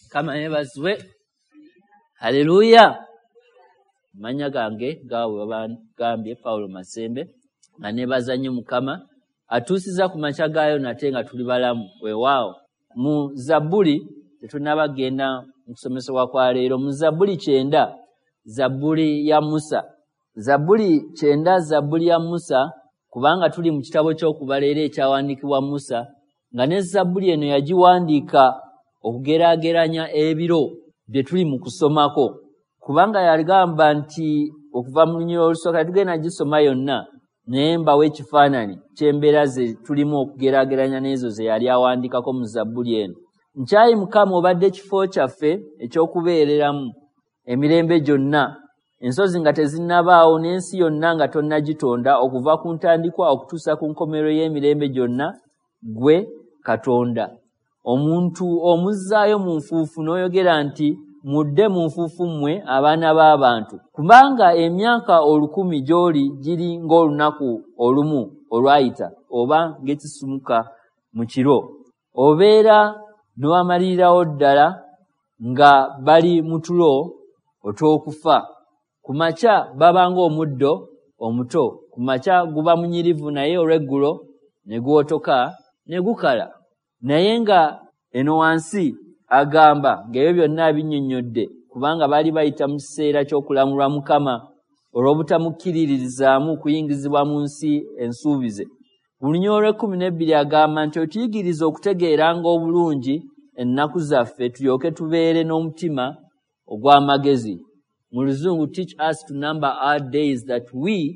Mukama yeebazibwe. Haleluya. Amannya gange gaabwe babagambye Pawulo Masembe, nga neebaza nnyo Mukama atuusiza ku makya gaayo nate nga tuli balamu. Weewaawo mu Zabbuli, tetunnaba kugenda mu kusomesebwa kwa leero, mu Zabbuli 90, Zabbuli ya Musa. Zabbuli 90, Zabbuli ya Musa, kubanga tuli mu kitabo ky'okubala era ekyawandiikibwa Musa, nga ne Zabbuli eno yagiwandiika okugeraageranya ebiro bye tuli mu kusomako, kubanga yagamba nti okuva mu lunyiriri olusooka, tugenda gisoma yonna, naye mbawa ekifaananyi ky'embeera ze tulimu okugeraageranya n'ezo ze yali awandiikako mu Zabbuli eno. Nkyayi Mukama, obadde kifo kyaffe eky'okubeereramu emirembe gyonna, ensozi nga tezinnabaawo n'ensi yonna nga tonnagitonda, okuva ku ntandikwa okutuusa ku nkomerero y'emirembe gyonna, ggwe Katonda. Omuntu omuzzaayo mu nfuufu n'oyogera nti, mudde mu nfuufu mmwe abaana b'abantu, kubanga emyaka 1000 gy'oli giri ng'olunaku olumu olwayita oba ng'ekisumuka mu kiro. Obeera n'obamalirirawo ddala nga bali mu tulo otw'okufa. Ku makya baba ng'omuddo omuto, ku makya guba munyirivu, naye olw'eggulo ne guwotoka ne gukala. Naye nga eno wansi agamba ng'ebyo byonna binnyonnyodde, kubanga baali bayita mu kiseera ky'okulamulwa Mukama olw'obutamukkiririzaamu kuyingizibwa mu nsi ensuubize. Mu lunyiriri olw'ekkumi n'ebbiri agamba nti otuyigirize okutegeeranga obulungi ennaku zaffe, tulyoke tubeere n'omutima ogw'amagezi. Mu Luzungu, "Teach us to number our days that we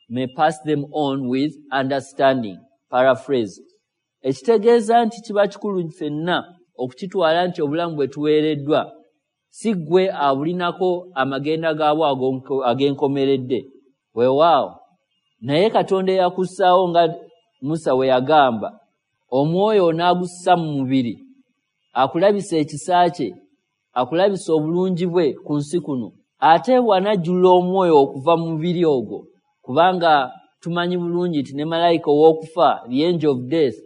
may pass them on with understanding," paraphrase. Ekitegeeza nti kiba kikulu ffenna okukitwala nti obulamu bwe tuweereddwa si ggwe abulinako amagenda gaabwo ag'enkomeredde. Weewaawo naye Katonda eyakussaawo, nga Musa we yagamba, omwoyo onaagussa mu mubiri, akulabisa ekisa kye, akulabisa obulungi bwe ku nsi kuno, ate bw'anajjulula omwoyo okuva mu mubiri ogwo, kubanga tumanyi bulungi nti ne malayika ow'okufa, the angel of death,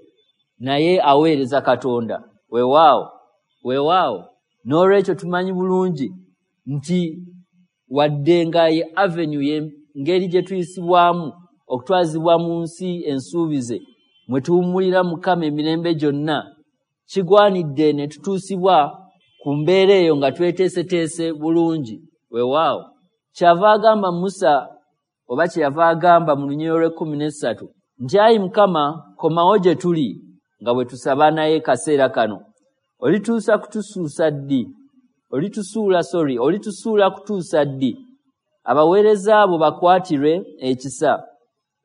naye aweereza Katonda. Weewaawo, weewaawo. N'olwekyo tumanyi bulungi nti wadde nga ye avenue, ye ngeri gye tuyisibwamu okutwazibwa mu nsi ensuubize mwe tuwummulira Mukama emirembe gyonna, kigwanidde ne tutuusibwa ku mbeera eyo nga tweteeseteese bulungi. Weewaawo kyava agamba Musa, oba kyeyava agamba mu lunyiriri olw'ekkumi n'essatu nti, ayi Mukama, komawo gye tuli, nga bwe tusaba naye kaseera kano. Olituusa kutusuusa ddi? Olitusuula, sorry, olitusuula kutuusa ddi? Abaweereza abo bakwatirwe ekisa.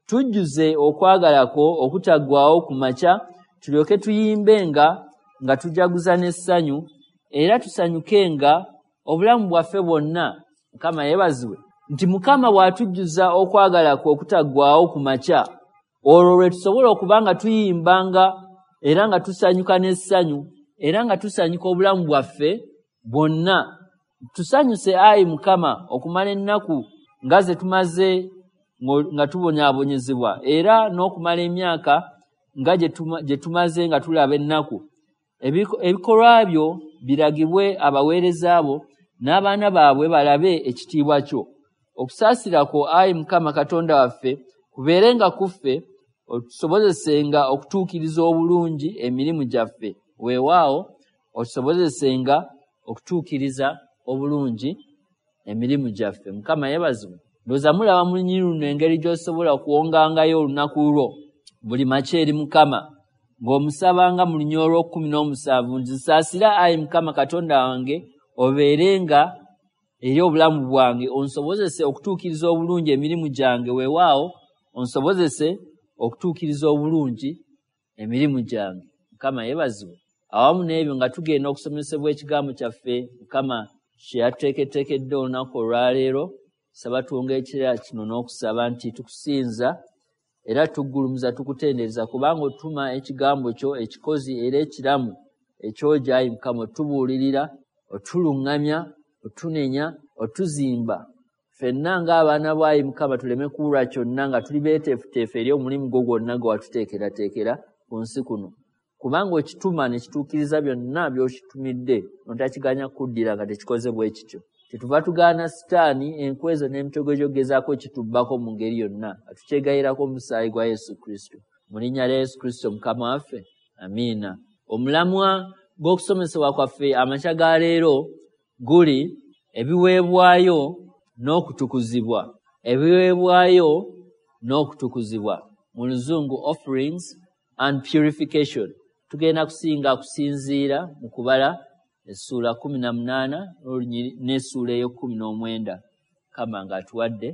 Tujjuze okwagala kwo okutaggwaawo ku makya, tulyoke tuyimbenga nga tujaguza n'essanyu, era tusanyukenga obulamu bwaffe bwonna. Mukama yeebazibwe nti Mukama bw'atujjuza okwagala kwe okutaggwaawo ku makya, olwo lwe tusobola okuba nga tuyimbanga era nga tusanyuka n'essanyu, era nga tusanyuka obulamu bwaffe bwonna. Tusanyuse, ayi Mukama, okumala ennaku nga ze tumaze nga tubonyaabonyezebwa, era n'okumala emyaka nga gye tumaze nga tulaba ennaku. Ebikolwa byo biragibwe abaweereza bo, n'abaana baabwe balabe ekitiibwa kyo. Okusaasira kwo, ayi Mukama Katonda waffe, kubeerenga ku ffe, otusobozesenga okutuukiriza obulungi emirimu gyaffe. Weewaawo, otusobozesenga okutuukiriza obulungi emirimu gyaffe. Mukama yeebazibwe. Ndowooza mulaba mu lunyiriri luno engeri gy'osobola okuwongangayo olunaku lwo buli makya eri Mukama, ng'omusabanga mu lunyiriri olw'okkumi n'omusanvu nti, nsaasira, ayi Mukama Katonda wange, obeerenga eri obulamu bwange, onsobozese okutuukiriza obulungi emirimu gyange. Weewaawo, onsobozese okutuukiriza obulungi emirimu gyange. Mukama yeebazibwe. Awamu n'ebyo, nga tugenda okusomesebwa ekigambo kyaffe Mukama kye yatuteeketeekedde olunaku olwaleero, saba tuwonga ekirala kino n'okusaba nti, tukusinza era tuggulumiza, tukutendereza, kubanga otuma ekigambo kyo ekikozi era ekiramu ekyoja, ayi Mukama, otubuulirira, otuluŋŋamya, otunenya, otuzimba ffenna ng'abaana bo. Ayi Mukama, tuleme kuwulwa kyonna, nga tuli beeteefuteefu eri omulimu gwo gwonna gwe watuteekerateekera ku nsi kuno. Kubanga okituma ne kituukiriza byonna by'okitumidde, n'otakiganya kuddira nga tekikoze bwe kityo. Kyetuva tugaana Sitaani enkwe ezo n'emitego gy'okugezaako okitubbako mu ngeri yonna, nga tukyegayirako omusaayi gwa Yesu Kristo. Mu linnya lya Yesu Kristo Mukama waffe, amiina. Omulamwa gw'okusomesebwa kwaffe amakya ga leero guli ebiweebwayo n'okutukuzibwa. Ebiweebwayo n'okutukuzibwa. Mu Luzungu offerings and purification. Tugenda kusinga kusinziira mu kubala essuula 18 n'essuula ey'e-19, Mukama ng'atuwadde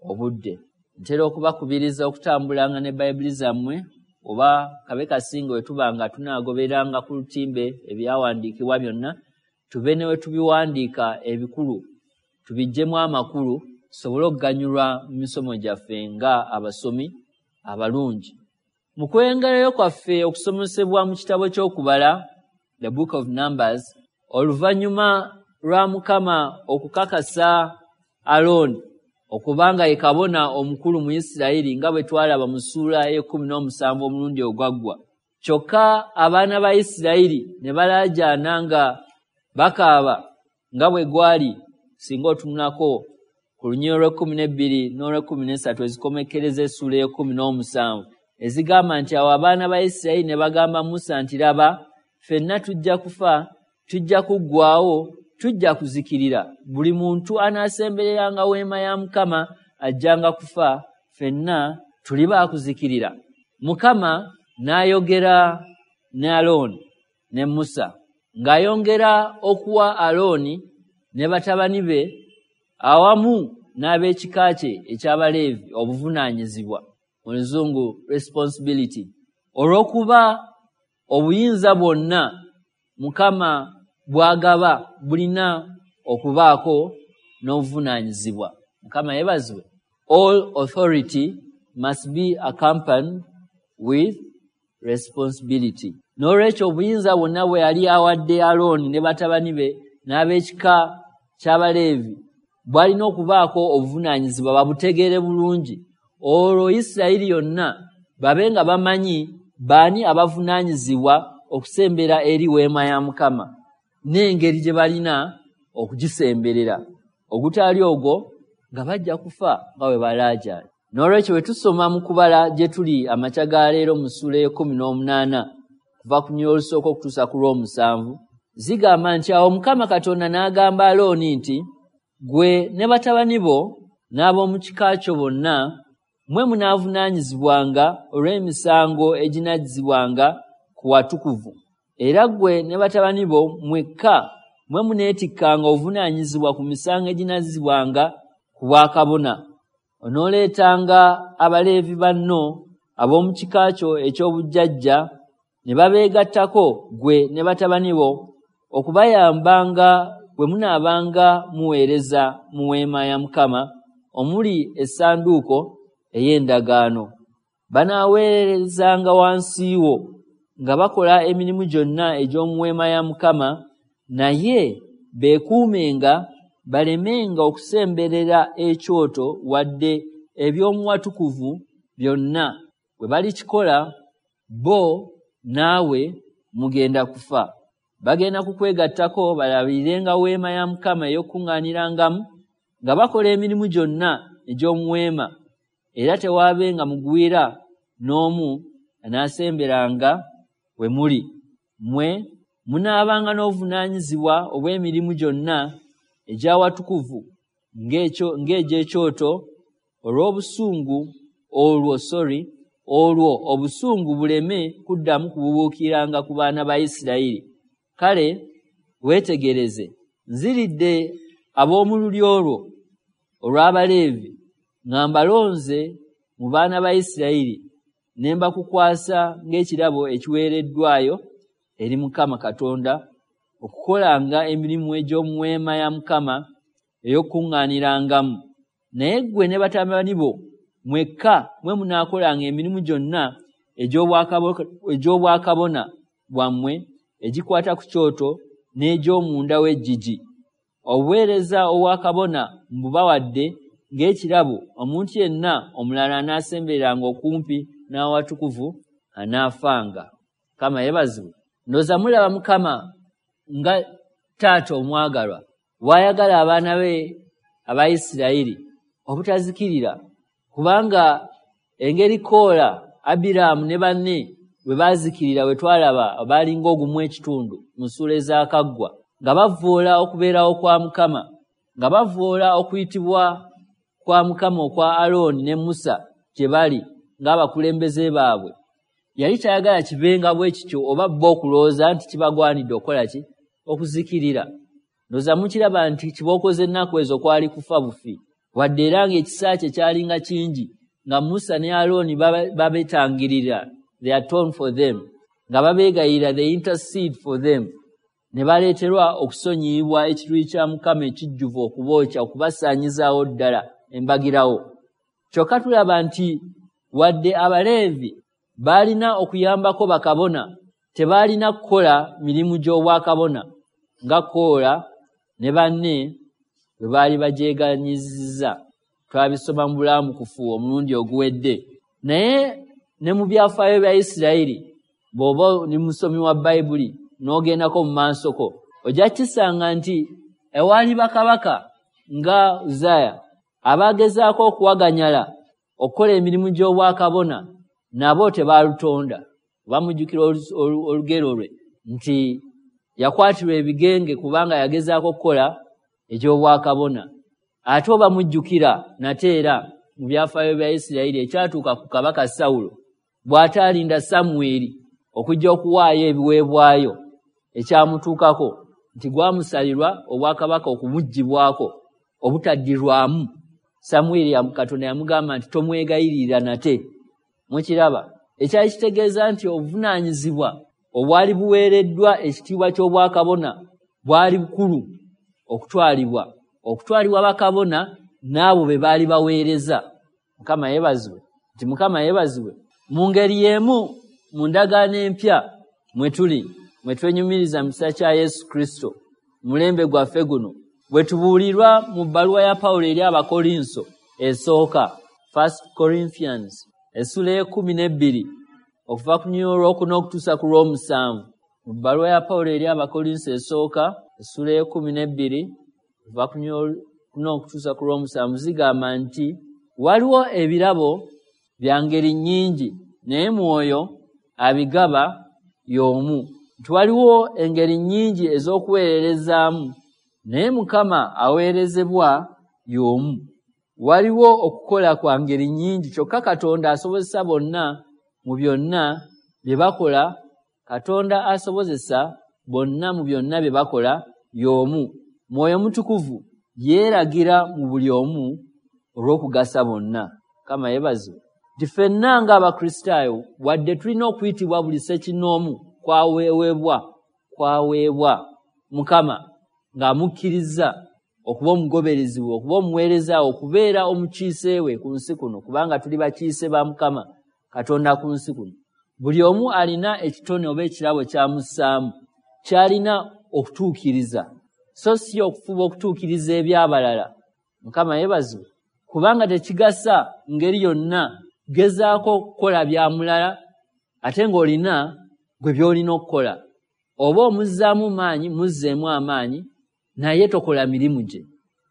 obudde. Ntera okubakubiriza okutambulanga ne Bayibuli zammwe, oba kabe kasinge bwe tuba nga tunaagobereranga ku lutimbe ebyawandiikibwa byonna, tube ne we tubiwandiika ebikulu, tubiggyemu amakulu, tusobole okuganyulwa mu misomo gyaffe nga abasomi abalungi. Mu kweyongerayo kwaffe okusomesebwa mu kitabo ky'Okubala, The Book of Numbers, oluvannyuma lwa Mukama okukakasa Alooni okubanga ye kabona omukulu mu Isirayiri nga bwe twalaba mu ssuula ey'e-17 omulundi ogwaggwa. Kyokka abaana ba Isirayiri ne balaajaana nga bakaaba nga bwe gwali singa otunulako ku lunyiriri olw'e-12 n'olw'e-13 ezikomekkereza essuula ey'e-17 ezigamba nti awo abaana ba Isirayiri ne bagamba Musa nti laba, ffenna tujja kufa, tujja kuggwaawo, tujja kuzikirira. Buli muntu anaasembereranga weema ya Mukama ajjanga kufa, ffenna tuli baakuzikirira. Mukama n'ayogera ne Alooni ne Musa, ng'ayongera okuwa Alooni ne batabani be awamu n'ab'ekika kye eky'Abaleevi obuvunaanyizibwa, mu Luzungu responsibility, olw'okuba obuyinza bwonna Mukama bw'agaba bulina okubaako n'obuvunaanyizibwa. Mukama yeebazibwe. All authority must be accompanied with responsibility. N'olwekyo obuyinza bwonna bwe yali awadde Alooni ne batabani be n'ab'ekika ky'Abaleevi bwalina okubaako obuvunaanyizibwa, babutegeere bulungi. Olwo Isirayiri yonna babe nga bamanyi baani abavunaanyizibwa okusembera eri weema ya Mukama n'engeri gye balina okugisemberera. Ogutali ogwo nga bajja kufa nga bwe balaajaana. N'olwekyo bwe tusoma mu kubala gye tuli amakya ga leero mu ssuula ey'e-18 kuva ku lunyiriri olusooka okutuusa ku lw'omusanvu, zigamba nti awo Mukama Katonda n'agamba Alooni nti ggwe ne batabani bo n'ab'omu kika kyo bonna mmwe munaavunaanyizibwanga olw'emisango eginazzibwanga ku watukuvu. Era ggwe ne batabani bo mmwekka mmwe muneetikkanga obuvunaanyizibwa ku misango eginazzibwanga ku bwakabona. Onooleetanga Abaleevi banno ab'omu kika kyo eky'obujjajja ne babeegattako ggwe ne batabani bo okubayambanga bwe munaabanga muweereza mu weema ya Mukama omuli essanduuko ey'endagaano. Banaaweerezanga wansi wo nga bakola emirimu gyonna egy'omu weema ya Mukama, naye beekuumenga balemenga okusemberera ekyoto wadde eby'omu watukuvu byonna. Bwe balikikola, bo naawe mugenda kufa. Bagenda kukwegattako balabirirenga weema ya Mukama ey'okukuŋŋaanirangamu nga bakola emirimu gyonna egy'omu weema, era tewaabenga mugwira n'omu anaasemberanga we muli. Mmwe munaabanga n'obuvunaanyizibwa obw'emirimu gyonna egy'awatukuvu ng'egy'ekyoto olw'obusungu olwo sorry olwo obusungu buleme kuddamu kububuukiranga ku baana ba Isirayiri. Kale weetegereze, nziridde ab'omu lulyo lwo olw'Abaleevi nga mbalonze mu baana ba Isirayiri ne mbakukwasa ng'ekirabo ekiweereddwayo eri Mukama Katonda okukolanga emirimu egy'omu weema ya Mukama ey'okukuŋŋaanirangamu. Naye ggwe ne batabani bo mmwekka mmwe munaakolanga emirimu gyonna egy'obwakabona bwammwe egikwata ku kyoto n'egy'omunda w'eggigi. Obuweereza obwakabona mbubawadde ng'ekirabo, omuntu yenna omulala anaasembereranga okumpi n'awatukuvu anaafanga. Mukama yeebazibwe. Ndowooza mulaba Mukama nga taata omwagalwa bw'ayagala abaana be Abayisirayiri obutazikirira, kubanga engeri Koola, Abiraamu ne banne bwe baazikirira bwe twalaba baalinga ogumu ekitundu mu ssuula ezaakaggwa, nga bavvoola okubeerawo kwa Mukama, nga bavvoola okuyitibwa kwa Mukama okwa Alooni ne Musa gye bali ng'abakulembeze baabwe. Yali tayagala kibenga bwe kityo oba bo okulowooza nti kibagwanidde okukola ki? Okuzikirira. Ndowooza mukiraba nti kibooko z'ennaku ezo kwali kufa bufi, wadde era ng'ekisa kye kyalinga kingi, nga Musa ne Alooni babetangirira, they atone for them, nga babeegayirira, they intercede for them, ne baleeterwa okusonyiyibwa ekiruyi kya Mukama ekijjuvu okubookya, okubasaanyizaawo ddala embagirawo. Kyokka tulaba nti wadde Abaleevi baalina okuyambako bakabona, tebaalina kukola mirimu gy'obwakabona nga Koola ne banne bwe baali bagyeganyizza. Twabisoma mu bulamukufu omulundi oguwedde. Naye ne mu byafaayo bya Isirayiri, bw'oba oli musomi wa Bayibuli n'ogendako mu maasoko, ojja kukisanga nti ewaali bakabaka nga Uzaaya abaagezaako okuwaganyala okukola emirimu gy'obwakabona, nabo tebaalutonda. Oba mujjukira olugero lwe nti yakwatirwa ebigenge kubanga yagezaako okukola egy'obwakabona. Ate oba mujjukira nate era mu byafaayo bya Isirayiri ekyatuuka ku kabaka Sawulo bw'ataalinda Samwiri okujja okuwaayo ebiweebwayo, ekyamutuukako nti gwamusalirwa obwakabaka okumuggyibwako obutaddirwamu. Samwiri Katonda yamugamba nti tomwegayirira nate. Mukiraba, ekyali kitegeeza nti obuvunaanyizibwa obwali buweereddwa ekitiibwa ky'obwakabona bwali bukulu okutwalibwa okutwalibwa bakabona n'abo be baali baweereza. Mukama yeebazibwe, nti Mukama yeebazibwe. Mu ngeri y'emu mu ndagaano empya mwe tuli, mwe twenyumiriza mu kisa kya Yesu Kristo, mulembe gwaffe guno, bwe tubuulirwa mu bbaluwa ya Pawulo eri Abakolinso esooka, First Corinthians, essula ey'ekkumi n'ebbiri okuva ku lunyiriri olwokuna okutuusa ku lw'omusanvu. Mu bbaluwa ya Pawulo eri Abakolinso esooka, essula ey'ekkumi n'ebbiri okuva ku lunyiriri olwokuna okutuusa ku lw'omusanvu, zigamba nti waliwo ebirabo bya ngeri nnyingi, naye Mwoyo abigaba y'omu, nti waliwo engeri nnyingi ez'okuweererezaamu, naye Mukama aweerezebwa y'omu. Waliwo okukola kwa ngeri nnyingi, kyokka Katonda asobozesa bonna mu byonna bye bakola. Katonda asobozesa bonna mu byonna bye bakola y'omu. Mwoyo Mutukuvu yeeragira mu buli omu olw'okugasa bonna. Mukama yeebazibwe, nti ffenna ng'Abakristaayo, wadde tulina okuyitibwa buli ssekinnoomu kwaweebwa Mukama ng'amukkirizza okuba omugoberezi we, okuba omuweereza we, okubeera omukiise we ku nsi kuno, kubanga tuli bakiise ba Mukama Katonda ku nsi kuno, buli omu alina ekitone oba ekirabo kyamussaamu ky'alina okutuukiriza, so si okufuba okutuukiriza eby'abalala. Mukama yeebazibwe, kubanga tekigasa ngeri yonna gezaako okukola bya mulala ate ng'olina gwe by'olina okukola. Oba omuzzaamu maanyi, muzzeemu amaanyi, naye tokola mirimu gye.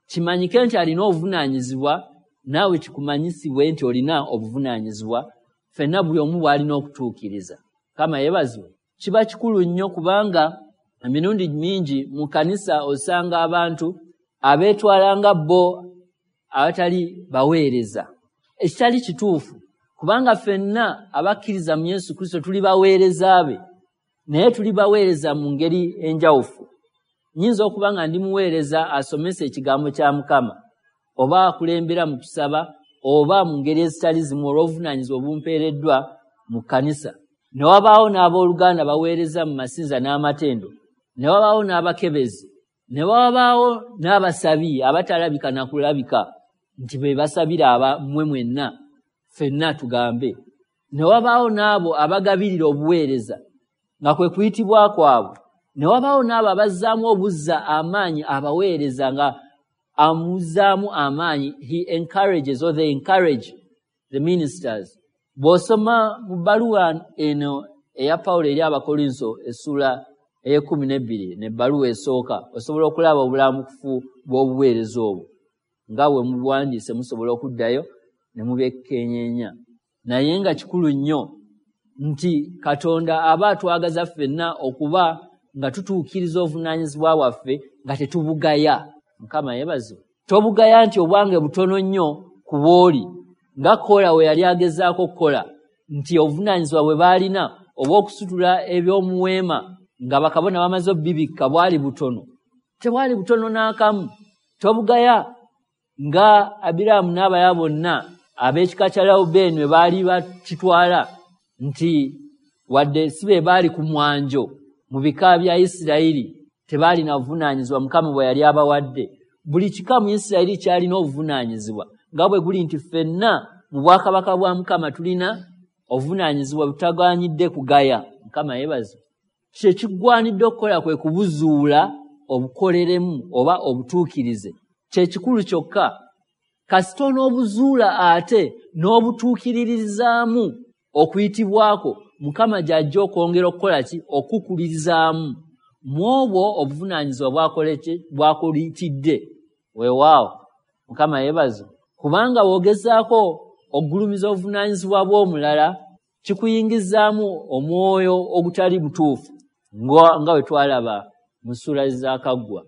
Kimanyike nti alina obuvunaanyizibwa, naawe kikumanyisibwe nti olina obuvunaanyizibwa, ffenna buli omu bw'alina okutuukiriza. Mukama yeebazibwe. Kiba kikulu nnyo kubanga emirundi mingi mu kkanisa osanga abantu abeetwala nga bo abatali baweereza, ekitali kituufu, kubanga ffenna abakkiriza mu Yesu Kristo tuli baweereza be, naye tuli baweereza mu ngeri enjawufu. Nnyinza okuba nga ndi muweereza asomesa ekigambo kya Mukama, oba akulembera mu kusaba, oba mu ngeri ezitali zimu olw'obuvunaanyizibwa obumpeereddwa mu kkanisa. Ne wabaawo n'abooluganda baweereza mu masinza n'amatendo, ne wabaawo n'abakebezi, ne wabaawo n'abasabi abatalabika na kulabika nti be basabira abammwe mwenna, ffenna tugambe. Ne wabaawo n'abo abagabirira obuweereza nga kwe kuyitibwa kwabwe. Ne wabaawo n'abo abazzaamu obuzza amaanyi abaweereza, nga amuzzaamu amaanyi, he encourages or they encourage the ministers. Bw'osoma mu bbaluwa eno eya Pawulo eri Abakolinso essula ey'e12 n'ebbaluwa esooka, osobola okulaba obulamukufu bw'obuweereza obwo. Nga bwe mubuwandiise musobola okuddayo ne mubyekenyeenya. Naye nga kikulu nnyo nti Katonda aba atwagaza ffenna okuba nga tutuukiriza obuvunaanyizibwa bwaffe nga tetubugaya. Mukama yeebazibwe. Tobugaya nti obwange butono nnyo ku bw'oli, nga Koola we yali agezaako okukola, nti obuvunaanyizibwa bwe baalina obw'okusitula eby'omuweema nga bakabona bamaze obbibikka bwali butono. Tebwali butono n'akamu. Tobugaya nga Abiraamu n'abalala bonna ab'ekika kya Lewubeeni bwe baali bakitwala nti wadde si be baali ku mwanjo mu bika bya Isirayiri, tebaalina buvunaanyizibwa Mukama bwe yali abawadde. Buli kika mu Isirayiri kyalina obuvunaanyizibwa, nga bwe guli nti ffenna mu bwakabaka bwa Mukama tulina obuvunaanyizibwa butagwanidde kugaya. Mukama yeebazibwe. Kye kigwanidde okukola kwe kubuzuula obukoleremu oba obutuukirize. Kye kikulu kyokka. Kasita onoobuzuula ate n'obutuukiririzaamu okuyitibwako, Mukama gy'ajja okwongera okukola ki? Okukulirizaamu mu obwo obuvunaanyizibwa bw'akuyitidde. Weewaawo, Mukama yeebazibwe. Kubanga bw'ogezaako okugulumiza obuvunaanyizibwa bw'omulala, kikuyingizaamu omwoyo ogutali mutuufu, nga bwe twalaba mu ssuula ezaakaggwa.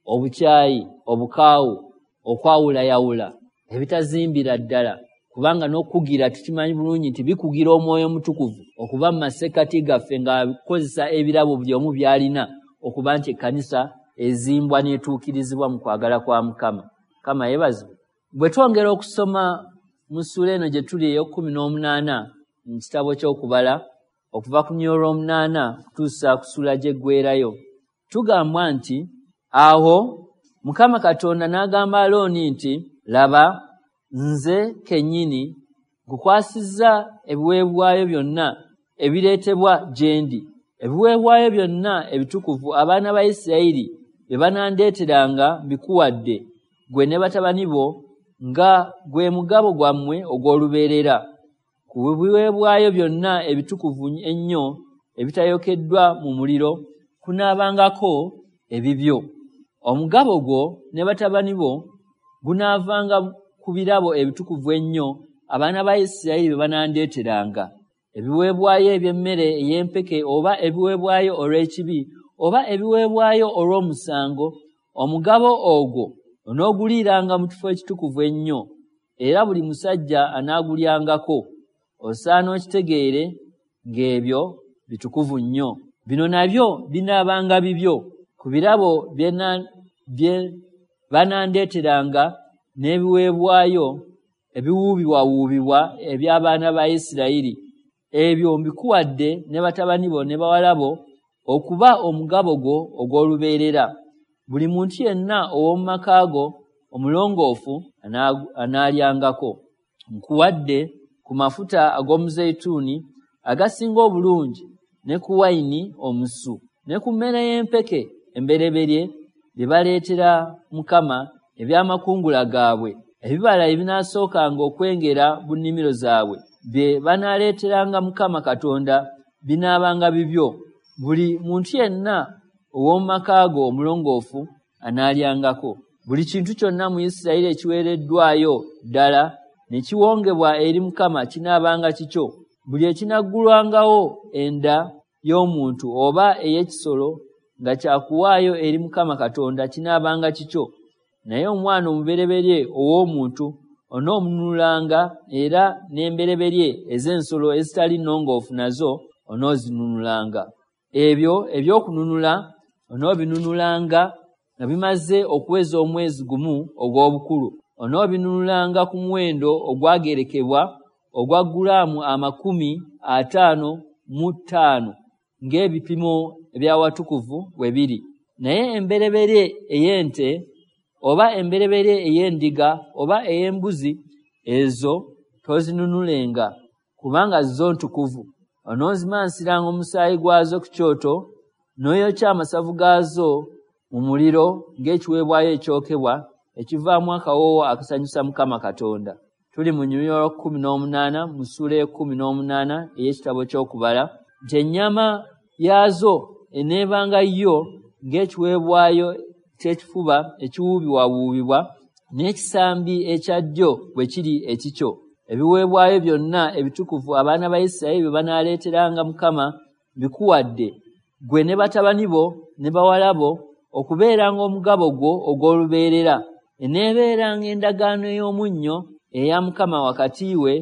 Obukyayi, obukaawu, okwawulayawula, ebitazimbira ddala, kubanga n'okukugira tukimanyi bulungi nti bikugira Omwoyo Omutukuvu okuba mu masekkati gaffe ng'akozesa ebirabo buli omu by'alina okuba nti ekkanisa ezimbwa n'etuukirizibwa mu kwagala kwa Mukama. Mukama yeebazibwe. Bwe twongera okusoma mu ssuula eno gye tuli ey'e18 mu kitabo ky'Okubala, okuva ku lunyiriri olw'omunaana okutuusa ku ssuula gy'eggweerayo, tugambwa nti awo Mukama Katonda n'agamba Alooni nti, laba, nze kennyini nkukwasizza ebiweebwayo byonna ebireetebwa gye ndi, ebiweebwayo byonna ebitukuvu abaana ba Isirayiri bye banandeeteranga mbikuwadde, ggwe ne batabani bo, nga gwe mugabo gwammwe ogw'olubeerera. Ku biweebwayo byonna ebitukuvu ennyo ebitayokeddwa mu muliro kunaabangako ebibyo. Omugabo gwo ne batabani bo gunaavanga ku birabo ebitukuvu ennyo abaana ba Isirayiri bye banandeeteranga, ebiweebwayo eby'emmere ey'empeke oba ebiweebwayo olw'ekibi oba ebiweebwayo olw'omusango. Omugabo ogwo onooguliiranga mu kifo ekitukuvu ennyo, era buli musajja anaagulyangako. Osaana okitegeere ng'ebyo bitukuvu nnyo. Bino nabyo binaabanga bibyo ku birabo bye banandeeteranga n'ebiweebwayo ebiwuubibwawuubibwa eby'abaana ba Isirayiri. Ebyo mbikuwadde ne batabani bo ne bawala bo okuba omugabo gwo ogw'olubeerera. Buli muntu yenna ow'omu maka go omulongoofu anaalyangako. Nkuwadde ku mafuta ag'omuzeyituuni agasinga obulungi ne ku wayini omusu ne ku mmere y'empeke embereberye bye baleetera Mukama eby'amakungula gaabwe, ebibala ebinaasookanga okwengera mu nnimiro zaabwe bye banaaleeteranga Mukama Katonda binaabanga bibyo. Buli muntu yenna ow'omu maka go omulongoofu anaalyangako. Buli kintu kyonna mu Isirayiri ekiweereddwayo ddala ne kiwongebwa eri Mukama kinaabanga kikyo. Buli ekinaggulwangawo enda y'omuntu oba ey'ekisolo nga kyakuwaayo eri Mukama Katonda kinaabanga kikyo. Naye omwana omubereberye ow'omuntu onoomununulanga, era n'embereberye ez'ensolo ezitali nnongoofu nazo onoozinunulanga. Ebyo eby'okununula onoobinunulanga nga bimaze okuweza omwezi gumu ogw'obukulu. Onoobinunulanga ku muwendo ogwagerekebwa ogwa gulaamu 55 ng'ebipimo eby'awatukuvu bwe biri. Naye embereberye ey'ente oba embereberye ey'endiga oba ey'embuzi ezo tozinunulenga, kubanga zo ntukuvu. Onoozimansiranga omusaayi gwazo ku kyoto, n'oyokya amasavu gaazo mu muliro ng'ekiweebwayo ekyokebwa ekivaamu akawoowo akasanyusa Mukama Katonda. Tuli mu lunyiriri olw'e18 mu ssuula ey'e18 ey'ekitabo ky'Okubala. nti ennyama yaazo eneebanga yo ng'ekiweebwayo ky'ekifuba ekiwuubibwawuubibwa, n'ekisambi ekya ddyo bwe kiri ekikyo. Ebiweebwayo byonna ebitukuvu abaana ba Isirayiri bye banaaleeteranga Mukama mbikuwadde, ggwe ne batabani bo ne bawala bo, okubeeranga omugabo gwo ogw'olubeerera. Eneebeeranga endagaano ey'omunnyo eya Mukama wakati we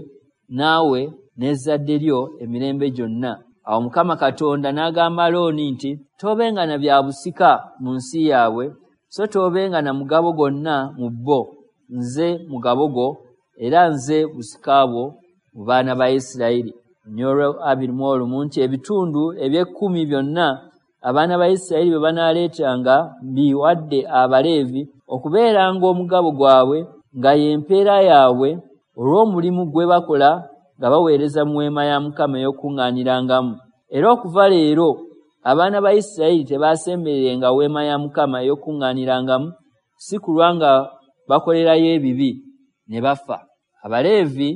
naawe n'ezzadde lyo emirembe gyonna. Awo Mukama Katonda n'agamba Alooni nti, Toobenga na bya busika mu nsi yaabwe, so toobenga na mugabo gwonna mu bo. Nze mugabo gwo, era nze busika bwo mu baana ba Isirayiri. Olunyiriri 21 nti ebitundu eby'ekkumi byonna abaana ba Isirayiri bye banaaleetanga mbiwadde Abaleevi okubeeranga omugabo gwabwe, nga y'empeera yaabwe olw'omulimu gwe bakola nga baweereza mu weema ya Mukama ey'okukuŋŋaanirangamu. Era okuva leero abaana ba Isirayiri tebaasembererenga weema ya Mukama ey'okukuŋŋaanirangamu, si kulwa nga bakolerayo ebibi ne bafa. Abaleevi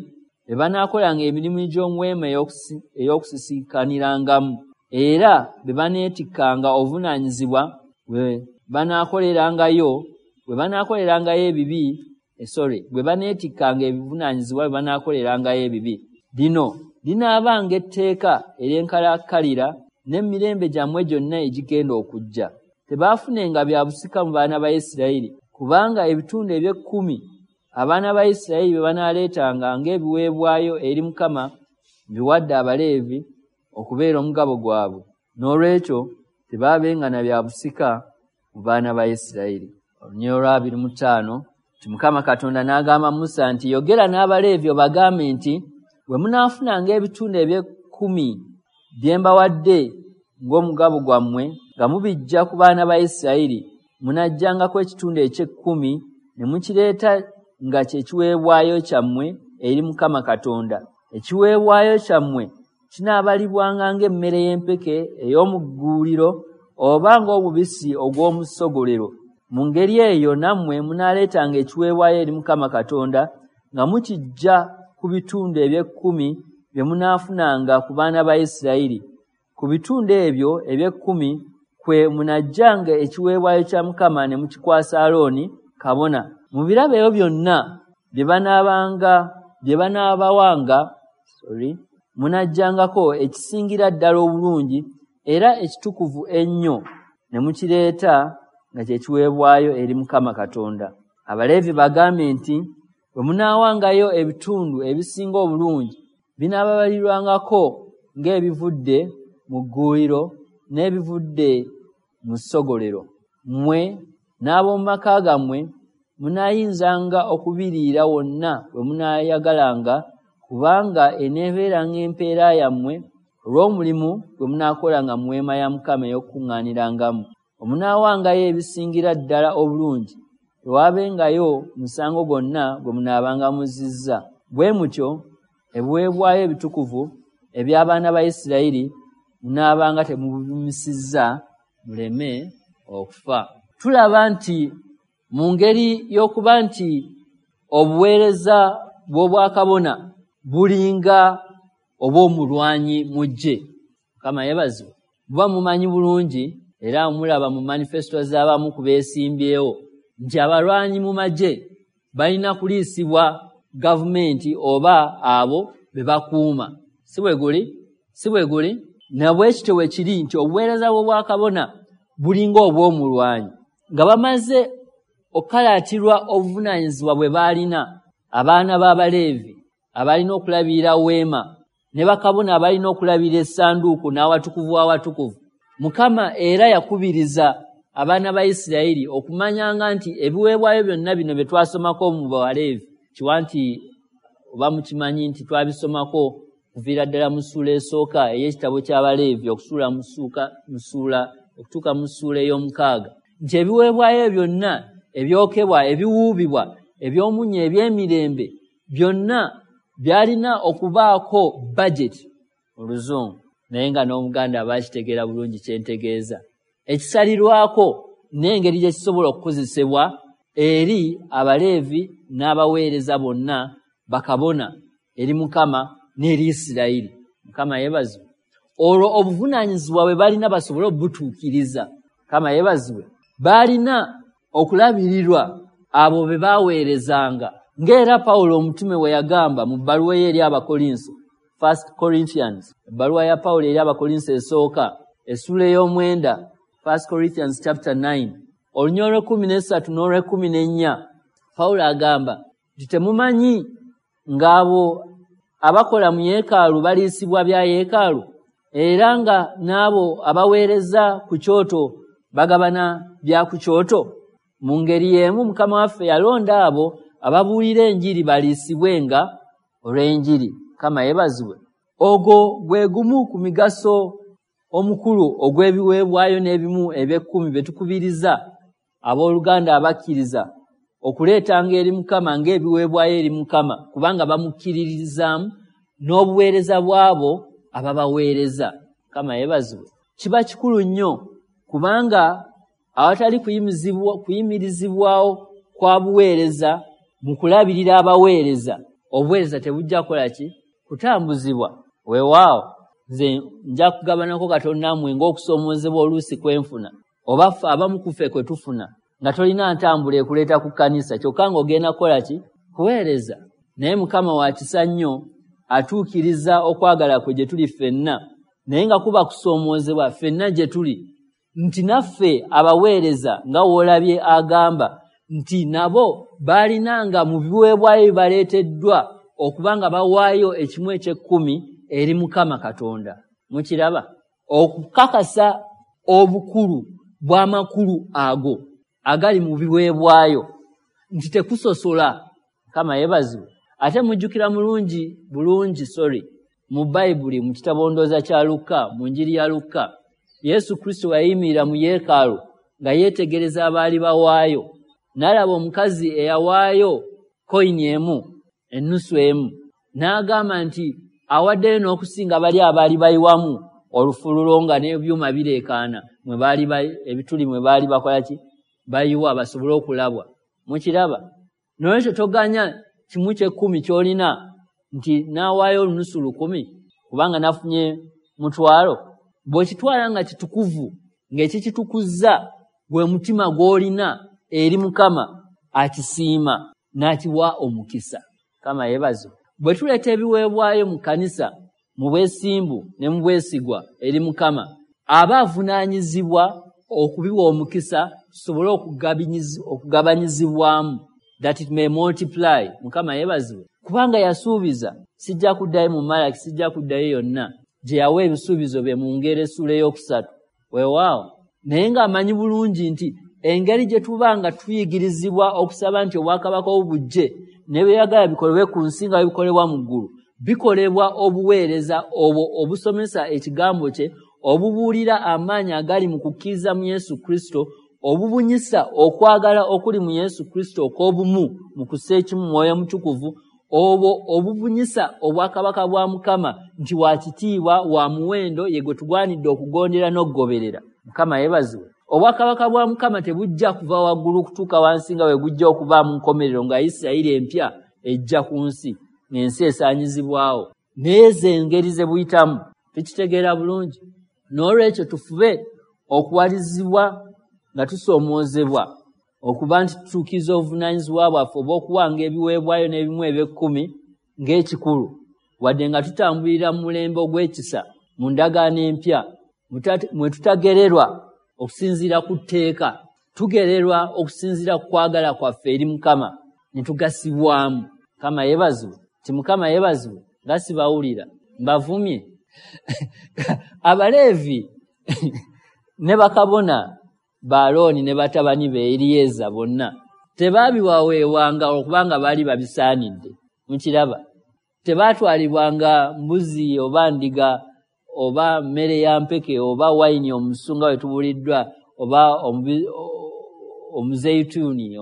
be banaakolanga emirimu gy'omu weema ey'okusisinkanirangamu, era be baneetikkanga obuvunaanyizibwa bwe banaakolerangayo ebibi, bwe baneetikkanga ebivunaanyizibwa bwe banaakolerangayo ebibi. Lino linaabanga etteeka ery'enkalakkalira n'emirembe gyammwe gyonna egigenda okujja. Tebaafunenga bya busika mu baana ba Isirayiri, kubanga ebitundu eby'ekkumi abaana ba Isirayiri bye banaaleetanga ng'ebiweebwayo eri Mukama mbiwadde Abaleevi okubeera omugabo gwabwe. Noolwekyo tebaabenga na bya busika mu baana ba Isirayiri. Olunyiriri 25 nti Mukama Katonda n'agamba Musa nti, Yogera n'Abaleevi obagambe nti, bwe munaafunanga ebitundu eby'ekkumi bye mbawadde ng'omugabo gwammwe nga mubiggya ku baana ba Isirayiri, munaggyangako ekitundu eky'ekkumi ne mukireeta nga kye kiweebwayo kyammwe eri Mukama Katonda. Ekiweebwayo kyammwe kinaabalibwanga ng'emmere y'empeke ey'omu gguuliro oba ng'omubisi ogw'omu ssogolero. Mu ngeri eyo nammwe munaaleetanga ekiweebwayo eri Mukama Katonda nga mukiggya ku bitundu eby'ekkumi bye munaafunanga ku baana ba Isirayiri. Ku bitundu ebyo eby'ekkumi kwe munaggyanga ekiweebwayo kya Mukama ne mukikwasa Alooni kabona. Mu birabo ebyo byonna bye banaabawanga, munaggyangako ekisingira ddala obulungi era ekitukuvu ennyo ne mukireeta nga kye kiweebwayo eri Mukama Katonda. Abaleevi bagambe nti, bwe munaawangayo ebitundu ebisinga obulungi binaababalirwangako ng'ebivudde mu gguuliro n'ebivudde mu ssogolero. Mmwe n'ab'omu maka gammwe munaayinzanga okubiriira wonna we munaayagalanga, kubanga eneebeeranga empeera yammwe olw'omulimu gwe munaakolanga mu weema ya Mukama ey'okukuŋŋaanirangamu. Omunaawangayo ebisingira ddala obulungi, tewaabengayo musango gwonna gwe munaabanga muzizza. Bwe mutyo ebiweebwayo ebitukuvu eby'abaana ba Isirayiri munaabanga temubimisizza muleme okufa. Tulaba nti mu ngeri y'okuba nti obuweereza bw'obwakabona bulinga obw'omulwanyi mu ggye. Mukama yeebazibwe. Buba mumanyi bulungi era mulaba mu manifesto z'abamu ku beesimbyewo nti abalwanyi mu magye balina kuliisibwa gavumenti oba abo be bakuuma. Si bwe guli? Si bwe guli? Na bwe kityo bwe kiri nti obuweereza bw'obwakabona bulinga obw'omulwanyi. Nga bamaze okukalaatirwa obuvunaanyizibwa bwe baalina, abaana b'Abaleevi abalina okulabirira weema ne bakabona abalina okulabirira essanduuko n'awatukuvu w'awatukuvu. Mukama era yakubiriza abaana ba Isirayiri okumanyanga nti ebiweebwayo byonna bino bye twasomako mu Baleevi, kiwa nti oba mukimanyi nti twabisomako kuviira ddala mu ssuula esooka ey'ekitabo ky'Abaleevi okutuuka mu ssuula ey'omukaaga, nti ebiweebwayo byonna ebyokebwa, ebiwuubibwa, eby'omunnyo, eby'emirembe byonna byalina okubaako budget mu Luzungu, naye nga n'Omuganda aba akitegeera bulungi kye ntegeeza, ekisalirwako n'engeri gye kisobola okukozesebwa eri Abaleevi n'abaweereza bonna bakabona eri Mukama n'eri Isirayiri. Mukama yeebazibwe. Olwo obuvunaanyizibwa bwe balina basobole obutuukiriza. Mukama yeebazibwe. Baalina okulabirirwa abo be baaweerezanga. Ng'era Pawulo omutume bwe yagamba mu bbaluwa ye eri Abakolinso, 1 Corinthians, ebbaluwa ya Pawulo eri Abakolinso esooka, essula ey'omwenda, 1 Corinthians chapter 9, olunyiriri olw'ekkumi n'esatu n'olw'ekkumi n'ennya, Pawulo agamba nti temumanyi ng'abo abakola mu yeekaalu baliisibwa bya yeekaalu, era nga n'abo abaweereza ku kyoto bagabana bya ku kyoto? Mu ngeri y'emu Mukama waffe yalonda abo ababuulira enjiri baliisibwenga olw'enjiri. Mukama yeebazibwe. Ogwo gwe gumu ku migaso omukulu ogw'ebiweebwayo n'ebimu eby'ekkumi bye tukubiriza abooluganda abakkiriza okuleetanga eri Mukama ng'ebiweebwayo eri Mukama, kubanga bamukkiririzaamu n'obuweereza bw'abo ababaweereza. Mukama yeebazibwe. Kiba kikulu nnyo kubanga awatali kuyimirizibwawo kwa buweereza mu kulabirira abaweereza, obuweereza tebujja kukola ki? Kutambuzibwa. Weewaawo nze nja kugabanako katono nammwe ng'okusoomoozebwa oluusi kwenfuna, oba ffe abamu ku ffe kwe tufuna, nga tolina ntambula ekuleeta ku kkanisa, kyokka ng'ogenda kukola ki? Kuweereza. Naye Mukama wa kisa nnyo, atuukiriza okwagala kwe gye tuli ffenna, naye nga kuba kusoomoozebwa ffenna gye tuli nti naffe abaweereza, nga w'olabye agamba nti nabo baalinanga mu biweebwayo bibaleeteddwa okuba nga bawaayo ekimu eky'ekkumi eri Mukama Katonda. Mukiraba? Okukakasa obukulu bw'amakulu ago agali mu biweebwayo nti tekusosola. Mukama yeebazibwe. Ate mujjukira mulungi bulungi, sorry, mu Bayibuli mu kitabo ndowooza kya Lukka, mu njiri ya Lukka, Yesu Kristo yayimirira mu yeekaalu nga yeetegereza abaali bawaayo, n'alaba omukazi eyawaayo koyini emu, ennusu emu, n'agamba nti awaddeyo n'okusinga bali abaali bayiwamu olufululo nga n'ebyuma bireekaana mwe baali ebituli mwe baali bakola ki? Bayiwa basobole okulabwa. Mukiraba? N'olwekyo toganya kimu ky'ekkumi ky'olina nti n'awaayo olunusu 1,000 kubanga nafunye 500. Bw'okitwala nga kitukuvu, ng'ekikitukuzza gwe mutima gw'olina eri Mukama, akisiima n'akiwa omukisa. Mukama yeebazibwe. Bwe tuleeta ebiweebwayo mu kkanisa mu bwesimbu ne mu bwesigwa eri Mukama, aba avunaanyizibwa okubiwa omukisa tusobole okugabanyizibwamu, that it may multiply. Mukama yeebazibwe. Kubanga yasuubiza, sijja kuddayo mu Malaki, sijja kuddayo yonna gye yawa ebisuubizo bye mu ngeri essuula ey'okusatu. Weewaawo. Naye ng'amanyi bulungi nti engeri gye tuba nga tuyigirizibwa okusaba nti obwakabaka obujje ne byeyagala bikolebwe ku nsi nga bikolebwa mu ggulu, bikolebwa obuweereza obwo obusomesa ekigambo kye, obubuulira amaanyi agali mu kukkiriza mu Yesu Kristo, obubunyisa okwagala okuli mu Yesu Kristo okw'obumu mu kussa ekimu Mwoyo Mutukuvu, obwo obubunyisa obwakabaka bwa Mukama nti wa kitiibwa, wa muwendo, ye gwe tugwanidde okugondera n'okugoberera. Mukama yeebazibwe. Obwakabaka bwa Mukama tebujja kuva waggulu kutuuka wansi nga bwe gujja okuba mu nkomerero nga Isirayiri empya ejja ku nsi, ng'ensi esaanyizibwawo. Naye ze engeri ze buyitamu tukitegeera bulungi. N'olwekyo tufube okuwalizibwa nga tusoomoozebwa okuba nti tutuukiriza obuvunaanyizibwa bwaffe obw'okuwanga ebiweebwayo n'ebimu eby'ekkumi ng'ekikulu, wadde nga tutambulira mu mulembe ogw'ekisa mu ndagaano empya mwe tutagererwa okusinziira ku tteeka, tugererwa okusinziira ku kwagala kwaffe eri Mukama ne tugasibwamu. Mukama yeebazibwe. Nti Mukama yeebazibwe, nga sibawulira mbavumye. Abaleevi ne bakabona ba Alooni ne batabani be Eriyeza bonna tebaabiwaweebwanga okubanga baali babisaanidde. Mukiraba? Tebaatwalibwanga mbuzi oba ndiga oba mmere ya mpeke oba wayini omusu nga bwe tubuliddwa oba omuzeyituuni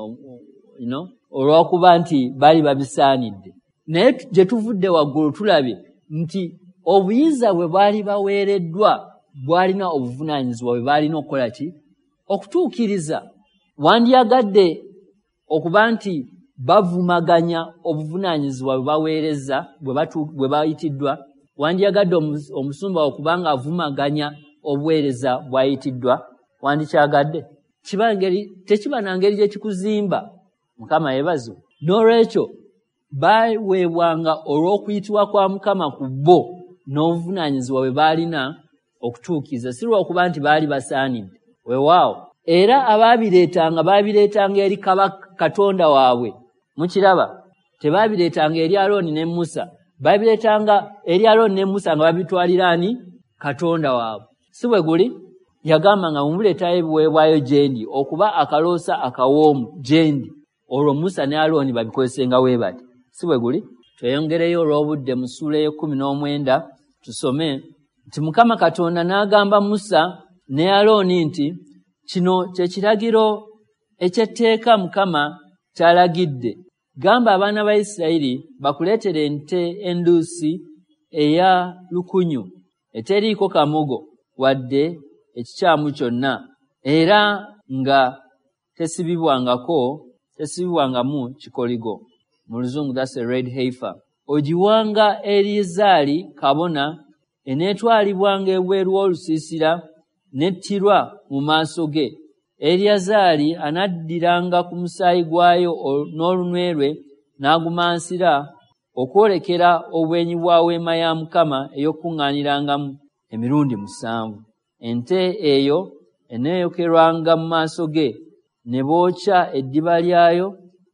olw'okuba nti baali babisaanidde. Naye gye tuvudde waggulu tulabye nti obuyinza bwe baali baweereddwa bwalina obuvunaanyizibwa bwe baalina okukola ki? Okutuukiriza. Wandyagadde okuba nti bavumaganya obuvunaanyizibwa bwe baweereza bwe bayitiddwa? Wandyagadde omusumba wo kubanga avumaganya obuweereza bw'ayitiddwa? Wandikyagadde? Tekiba na ngeri gye kikuzimba. Mukama yeebazibwe. N'olwekyo baaweebwanga olw'okuyitibwa kwa Mukama ku bo n'obuvunaanyizibwa bwe baalina okutuukiriza, si lwakuba nti baali basaanidde. Weewaawo, era abaabireetanga baabireetanga eri Katonda waabwe. Mukiraba, tebaabireetanga eri Alooni ne Musa, baabireetanga eri Alooni ne Musa nga babitwalira ani? Katonda waabwe. Si bwe guli? Yagamba nga mumuleetayo ebiweebwayo gye ndi okuba akaloosa akawoomu gye ndi, olwo Musa ne Alooni babikozesenga bwe bati. Si bwe guli? Tweyongereyo olw'obudde mu ssuula ey'e19 tusome nti Mukama Katonda n'agamba Musa ne Alooni nti kino kye kiragiro eky'etteeka Mukama ky'alagidde. Gamba abaana ba Isirayiri bakuleetere ente enduusi eya lukunyu eteriiko kamogo wadde ekikyamu kyonna, era nga tesibibwangamu kikoligo. Mu Luzungu that's a red heifer. Ogiwanga Eriyazaali kabona, eneetwalibwanga ebweru w'olusiisira n'ettirwa mu maaso ge. Eriyazaali anaddiranga ku musaayi gwayo n'olunwe lwe n'agumansira okwolekera obwenyi bwa weema ya Mukama ey'okukuŋŋaanirangamu emirundi 7. Ente eyo eneeyokerwanga mu maaso ge, ne bookya eddiba lyayo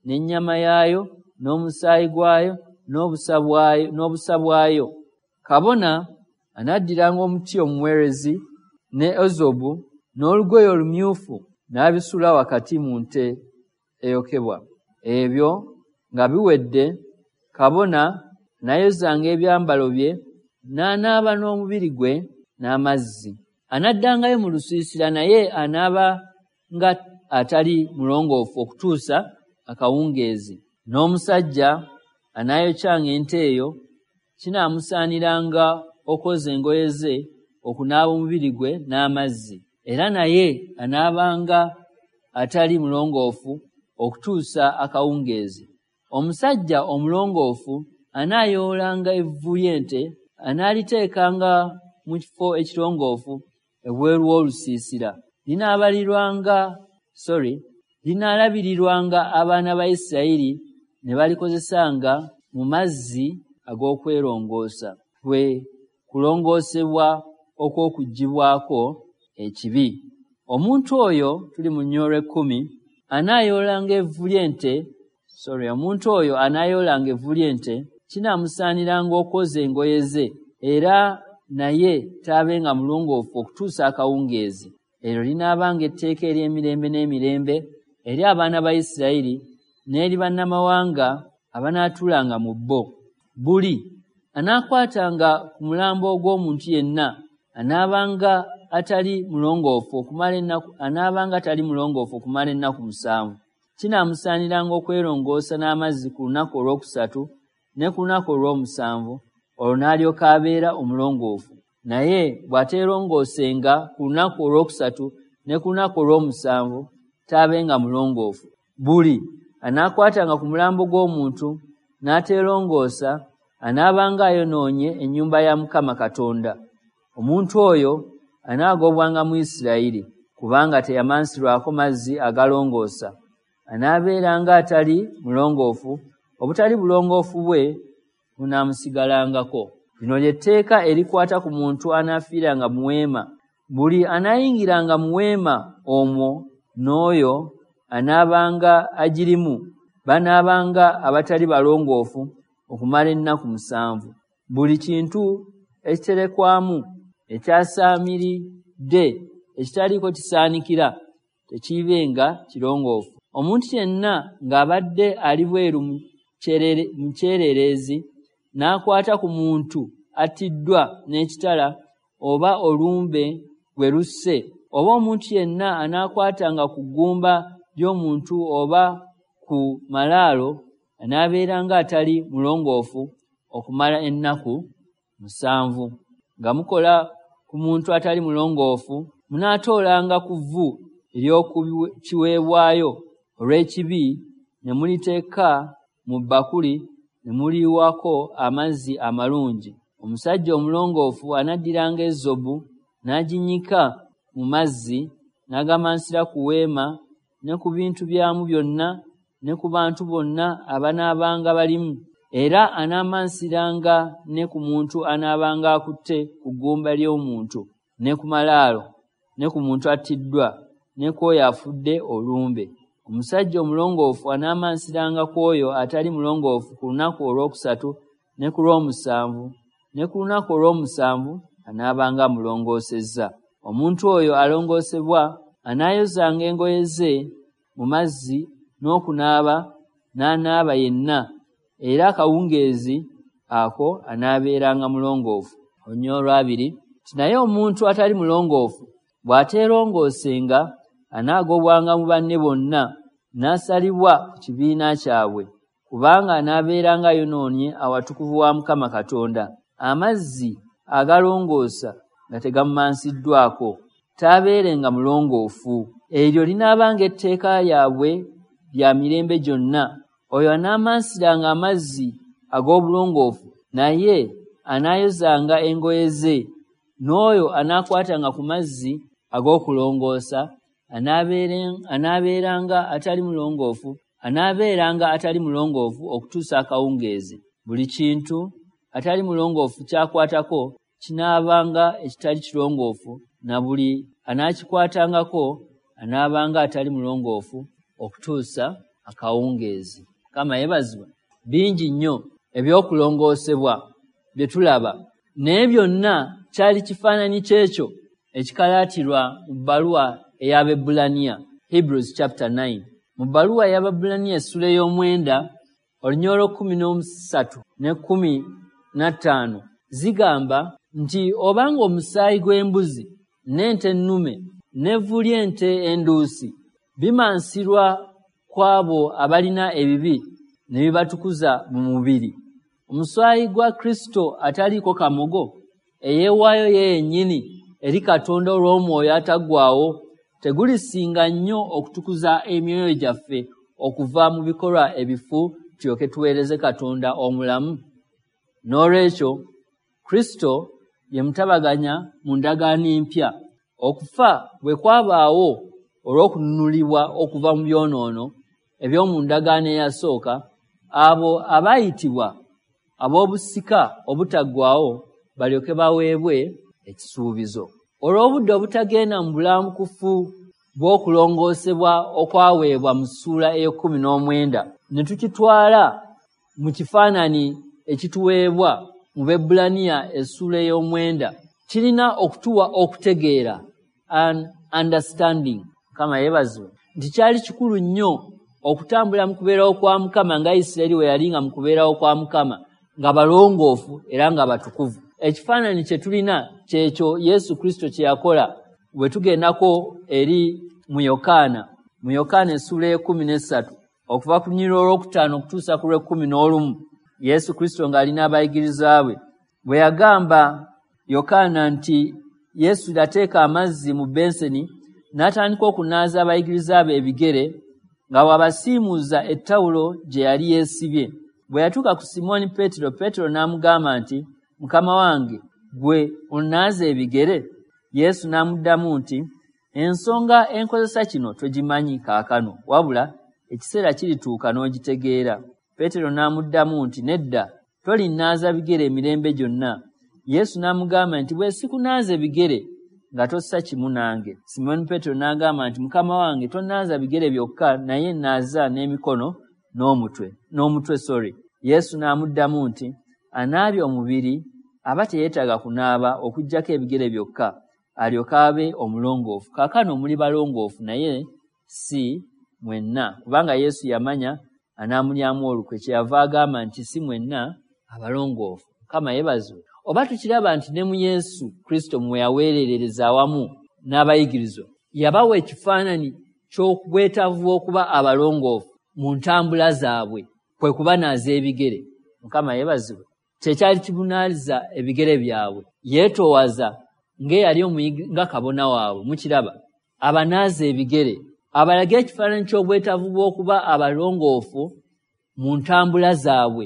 n'ennyama yaayo n'omusaayi gwayo n'obusa bwayo. Kabona anaddiranga omuti omuwerezi ne ezobu n'olugoye olumyufu n'abisuula wakati mu nte eyokebwa. Ebyo nga biwedde, kabona n'ayozanga ebyambalo bye n'anaaba n'omubiri gwe n'amazzi. Anaddangayo mu lusiisira, naye anaabanga atali mulongoofu okutuusa akawungeezi. N'omusajja anaayokyanga ente eyo kinaamusaaniranga okwoza engoye ze, okunaaba omubiri gwe n'amazzi, era naye anaabanga atali mulongoofu okutuusa akawungeezi. Omusajja omulongoofu anaayoolanga evvu ly'ente, anaaliteekanga mu kifo ekirongoofu ebweru w'olusiisira. Linaalabirirwanga abaana ba Isirayiri ne balikozesanga mu mazzi ag'okwerongoosa, kwe kulongoosebwa okw'okuggyibwako ekibi. Omuntu oyo, tuli mu nnyolo 10, anaayoolanga evvu ly'ente. Omuntu oyo anaayoolanga evvu ly'ente kinaamusaaniranga okwoza engoye ze, era naye taabenga mulongoofu okutuusa akawungeezi. Eryo linaabanga etteeka ery'emirembe n'emirembe eri abaana ba Isirayiri n'eri bannamawanga abanaatuulanga mu bo. Buli anaakwatanga ku mulambo ogw'omuntu yenna anaabanga atali mulongoofu okumala ennaku 7. Kinaamusaaniranga okwerongoosa n'amazzi ku lunaku olwokusatu ne ku lunaku olw'omusanvu, olwo n'alyoka abeera omulongoofu. Naye bw'ateerongoosenga ku lunaku olwokusatu ne ku lunaku olw'omusanvu, taabenga mulongoofu. Buli anaakwatanga ku mulambo gw'omuntu n'ateerongoosa anaabanga ayonoonye ennyumba ya Mukama Katonda. Omuntu oyo anaagobwanga mu Isirayiri, kubanga teyamansirwako mazzi agalongoosa. Anaabeeranga atali mulongoofu, obutali bulongoofu bwe bunaamusigalangako. Lino ly'etteeka erikwata ku muntu anaafiiranga mu weema. Buli anaayingiranga mu weema omwo n'oyo anaabanga agirimu banaabanga abatali balongoofu okumala ennaku 7. Buli kintu ekiterekwamu ekyasaamiridde ekitaliiko kisaanikira tekiibenga kirongoofu. Omuntu yenna ng'abadde ali bweru mu kyererezi n'akwata ku muntu attiddwa n'ekitala oba olumbe gwe lusse, oba omuntu yenna anaakwatanga ku ggumba ly'omuntu oba ku malaalo, anaabeeranga atali mulongoofu okumala ennaku 7. Nga mukola ku muntu atali mulongoofu, munaatoolanga ku vvu ery'oku kiweebwayo olw'ekibi ne muliteeka mu bbakuli ne muliyiwako amazzi amalungi. Omusajja omulongoofu anaddiranga ezobu n'aginnyika mu mazzi, n'agamansira ku weema ne ku bintu byamu byonna ne ku bantu bonna abanaabanga balimu. Era anaamansiranga ne ku muntu anaabanga akutte ku ggumba ly'omuntu, ne ku malaalo, ne ku muntu attiddwa, ne ku oyo afudde olumbe. Omusajja omulongoofu anaamansiranga ku oyo atali mulongoofu ku lunaku olwokusatu ne ku lw'omusanvu, ne ku lunaku olw'omusanvu anaabanga amulongoosezza. Omuntu oyo alongoosebwa anaayozanga engoye ze mu mazzi n'okunaaba, n'anaaba yenna, era akawungeezi ako anaabeeranga mulongoofu. Olunyiriri olwabiri nti naye omuntu atali mulongoofu bw'ateerongoosenga anaagobwanga mu banne bonna, n'asalibwa ku kibiina kyabwe, kubanga anaabeeranga ayonoonye awatukuvu wa Mukama Katonda. Amazzi agalongoosa nga tegamumansiddwako, taabeerenga mulongoofu. Eryo linaabanga etteeka lyabwe lya mirembe gyonna. Oyo anaamansiranga amazzi ag'obulongoofu, naye anaayozanga engoye ze, n'oyo anaakwatanga ku mazzi ag'okulongoosa anaabeeranga atali mulongoofu, anaabeeranga atali mulongoofu okutuusa akawungeezi. Buli kintu atali mulongoofu ky'akwatako kinaabanga ekitali kirongoofu, na buli anaakikwatangako anaabanga atali mulongoofu okutuusa akawungeezi. Mukama yeebazibwe. Bingi nnyo eby'okulongoosebwa bye tulaba, naye byonna kyali kifaananyi ky'ekyo ekikalaatirwa mu bbaluwa ey'Abaebbulaniya, Hebrews chapter 9. Mu bbaluwa ey'Abaebbulaniya essula ey'omwenda, olunyiriri 13 ne 15 zigamba nti obanga omusaayi gw'embuzi n'ente ennume n'evvu ly'ente enduusi bimansirwa ku abo abalina ebibi ne bibatukuza mu mubiri, omusaayi gwa Kristo ataliiko kamogo, eyeewaayo ye yennyini eri Katonda olw'omwoyo ataggwaawo, tegulisinga nnyo okutukuza emyoyo gyaffe okuva mu bikolwa ebifu tulyoke tuweereze Katonda omulamu? N'olwekyo Kristo ye mutabaganya mu ndagaano empya. Okufa bwe kwabaawo olw'okununulibwa okuva mu byonoono eby'omu ndagaano eyasooka, abo abaayitibwa ab'obusika obutaggwaawo balyoke baweebwe ekisuubizo. Olw'obudde obutagenda mu bulambukufu bw'okulongoosebwa okwaweebwa mu ssuula ey'e19 ne tukitwala mu kifaananyi ekituweebwa mu Baebbulaniya essuula ey'omwenda, kirina okutuwa okutegeera, an understanding. Mukama yeebazibwe nti kyali kikulu nnyo okutambula mu kubeerawo kwa Mukama nga Isirayiri we yali nga mu kubeerawo kwa Mukama, nga balongoofu era nga batukuvu. Ekifaananyi kye tulina kyekyo Yesu Kristo kye yakola bwe tugendako eri mu Yokaana essuula ey'e13 okuva ku lunyiriri olwokutaano okutuusa ku lw'e11, Yesu Kristo ng'alina abayigirizwa be bwe yagamba Yokaana nti Yesu yateeka amazzi mu benseni n'atandika okunaaza abayigiriza be ebigere nga bw'abasiimuuza ettawulo gye yali yeesibye. Bwe yatuuka ku Simooni Peetero, Peetero n'amugamba nti, Mukama wange, ggwe onnaaza ebigere? Yesu n'amuddamu nti, Ensonga enkozesa kino togimanyi kaakano, wabula ekiseera kirituuka n'ogitegeera. Peetero n'amuddamu nti, Nedda, tolinnaaza bigere emirembe gyonna. Yesu n'amugamba nti, Bwe sikunaaze bigere, nga tossa kimu nange. Simooni Peetero n'agamba nti, Mukama wange, tonnaaza bigere byokka, naye naaza n'emikono n'omutwe. Yesu n'amuddamu nti, Anaabye omubiri aba teyeetaaga kunaaba okuggyako ebigere byokka, alyoke abe omulongoofu. Kaakano muli balongoofu, naye si mwenna, kubanga Yesu yamanya anaamulyamu olukwe, kyeyava agamba nti si mwenna abalongoofu. Mukama yeebazibwe. Oba tukiraba nti ne mu Yesu Kristo mwe yaweerereza awamu n'abayigirizwa, yabawa ekifaananyi ky'obwetaavu bw'okuba abalongoofu mu ntambula zaabwe, kwe kubanaaza ebigere. Mukama yeebazibwe. Kye kyali kibunaaliza ebigere byabwe. Yeetoowaza ng'eyali nga kabona waabwe, mukiraba, abanaaza ebigere, abalage ekifaananyi ky'obwetaavu bw'okuba abalongoofu mu ntambula zaabwe,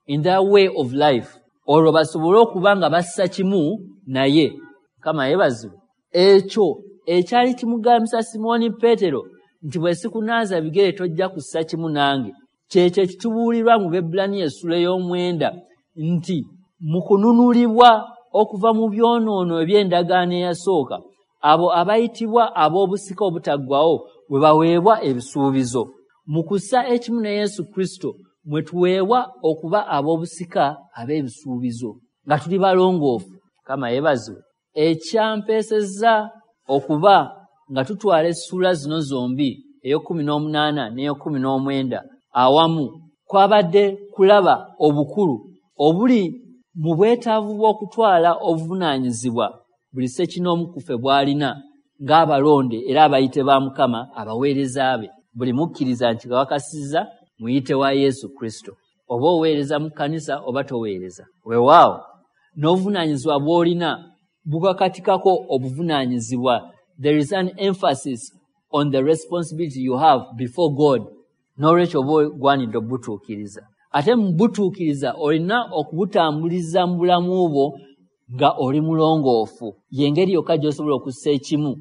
in their way of life. Olwo basobole okuba nga bassa kimu naye. Mukama yeebazibwe. Ekyo ekyali kimugambisa Simooni Peetero nti bwe sikunaaza bigere tojja kussa kimu nange, kyekyo ekitubuulirwa mu Bebbulaniya essula ey'omwenda nti mu kununulibwa okuva mu byonoono eby'endagaano eyasooka, abo abayitibwa ab'obusika obutaggwawo bwe baweebwa ebisuubizo. Mu kussa ekimu ne Yesu Kristo mwe tuweebwa okuba ab'obusika ab'ebisuubizo nga tuli balongoofu. Mukama yeebazibwe. Ekyampeesezza okuba nga tutwala essuula zino zombi, ey'okkumi n'omunaana n'ey'okkumi n'omwenda awamu, kwabadde kulaba obukulu obuli mu bwetaavu bw'okutwala obuvunaanyizibwa buli ssekinnoomu ku ffe bw'alina ng'abalonde era abayite ba Mukama, abaweereza be. Buli mukkiriza nkikakasizza muyite wa Yesu Kristo, oba oweereza mu kkanisa oba toweereza. Weewaawo n'obuvunaanyizibwa bw'olina bukakatikako obuvunaanyizibwa. There is an emphasis on the responsibility you have before God. N'olwekyo oba ogwanidde obutuukiriza, ate mu butuukiriza olina okubutambuliza mu bulamu bwo nga oli mulongoofu. Y'engeri yokka gy'osobola okussa ekimu